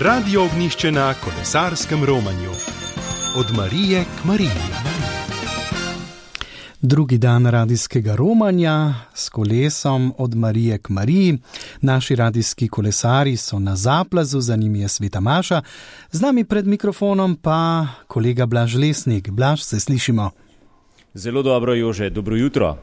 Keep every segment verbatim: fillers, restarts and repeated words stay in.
Radio Ognjišče na kolesarskem romanju. Od Marije k Mariji. Drugi dan radijskega romanja s kolesom od Marije k Mariji. Naši radijski kolesari so na zaplazu, za njimi je Sveta Maša. Z nami pred mikrofonom pa kolega Blaž Lesnik. Blaž, se slišimo? Zelo dobro, Jože. Dobro jutro.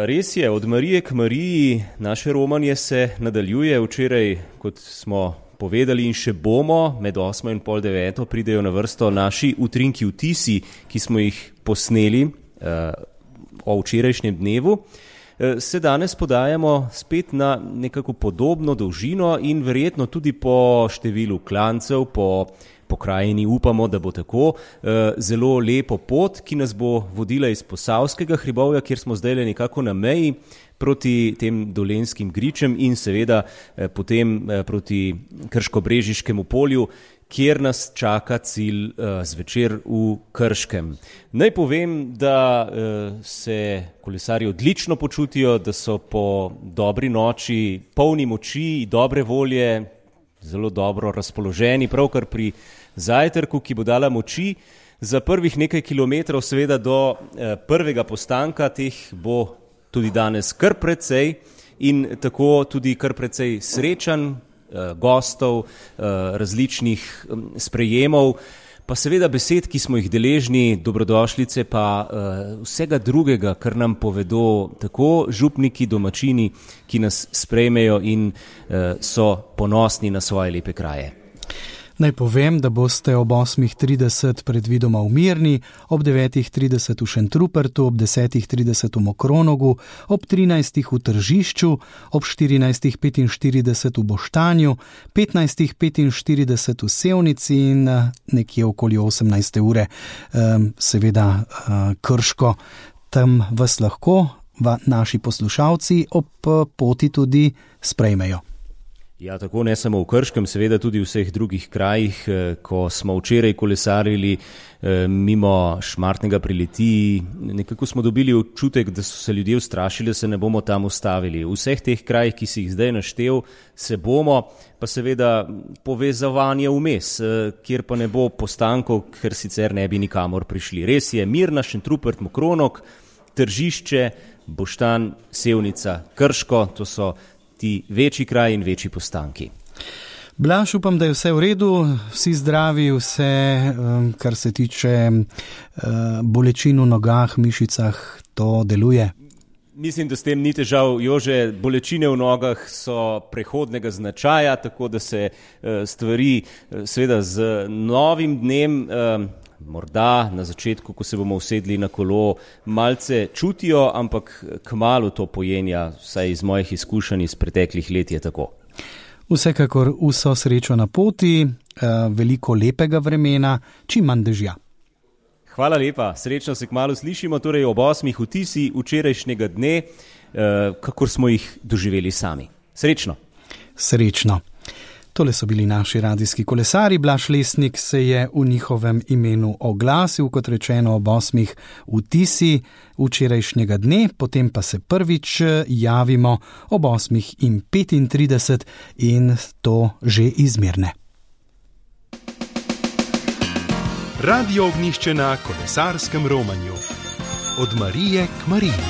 Res je, od Marije k Mariji naše romanje se nadaljuje. Včeraj, kot smo povedali in še bomo, med osmo in pol deveto pridejo na vrsto naši utrinki vtisi, ki smo jih posneli uh, o včerajšnjem dnevu. Uh, se danes podajamo spet na nekako podobno dolžino in verjetno tudi po številu klancev, po pokrajini upamo, da bo tako, uh, zelo lepo pot, ki nas bo vodila iz Posavskega hribovja, kjer smo zdaj le nekako na meji, proti tem Dolenjskim gričem in seveda eh, potem eh, proti Krško-Brežiškemu polju, kjer nas čaka cilj eh, zvečer v Krškem. Naj povem, da eh, se kolesarji odlično počutijo, da so po dobri noči polni moči, dobre volje, zelo dobro razpoloženi, pravkar pri zajtrku, ki bo dala moči. Za prvih nekaj kilometrov seveda do eh, prvega postanka, teh bo tudi danes kar precej in tako tudi kar precej srečanj, gostov, različnih sprejemov, pa seveda besed, ki smo jih deležni, dobrodošlice, pa vsega drugega, kar nam povedo tako župniki, domačini, ki nas sprejmejo in so ponosni na svoje lepe kraje. Naj povem, da boste ob osmih trideset predvidoma v Mirni, ob devetih trideset v Šentrupertu, ob desetih trideset v Mokronogu, ob trinajstih v Tržišču, ob štirinajstih petinštirideset v Boštanju, petnajstih petinštirideset v Sevnici in nekje okoli osemnajste ure seveda Krško. Tam vas lahko naši poslušalci ob poti tudi sprejmejo. Ja, tako ne samo v Krškem, seveda tudi v vseh drugih krajih. Ko smo včeraj kolesarili mimo Šmartnega pri Litiji, nekako smo dobili občutek, da so se ljudje ustrašili, da se ne bomo tam ustavili. V vseh teh krajih, ki si jih zdaj naštel, se bomo, pa seveda povezovanje vmes, kjer pa ne bo postankov, ker sicer ne bi nikamor prišli. Res je, Mirna, Šentrupert, Mokronok, Tržišče, Boštanj, Sevnica, Krško, to so ti večji kraj in večji postanki. Blaž, upam, da je vse v redu, vsi zdravi, vse, kar se tiče bolečin v nogah, mišicah, to deluje? Mislim, da s tem ni težav, Jože. Bolečine v nogah so prehodnega značaja, tako da se stvari seveda z novim dnem, morda na začetku, ko se bomo usedli na kolo, malce čutijo, ampak kmalu to pojenja, vsaj iz mojih izkušenj iz preteklih let je tako. Vsekakor vso srečo na poti, veliko lepega vremena, čim manj dežja. Hvala lepa, srečno se kmalu slišimo, torej ob osmih vtisi včerajšnjega dne, kakor smo jih doživeli sami. Srečno. Srečno. Tole so bili naši radijski kolesari. Blaž Lesnik se je v njihovem imenu oglasil, kot rečeno, ob osmih vtisi včerajšnjega dne, potem pa se prvič javimo ob osmih in petintrideset in to že iz Mirne. Radio Ognjišče na kolesarskem romanju. Od Marije k Mariji.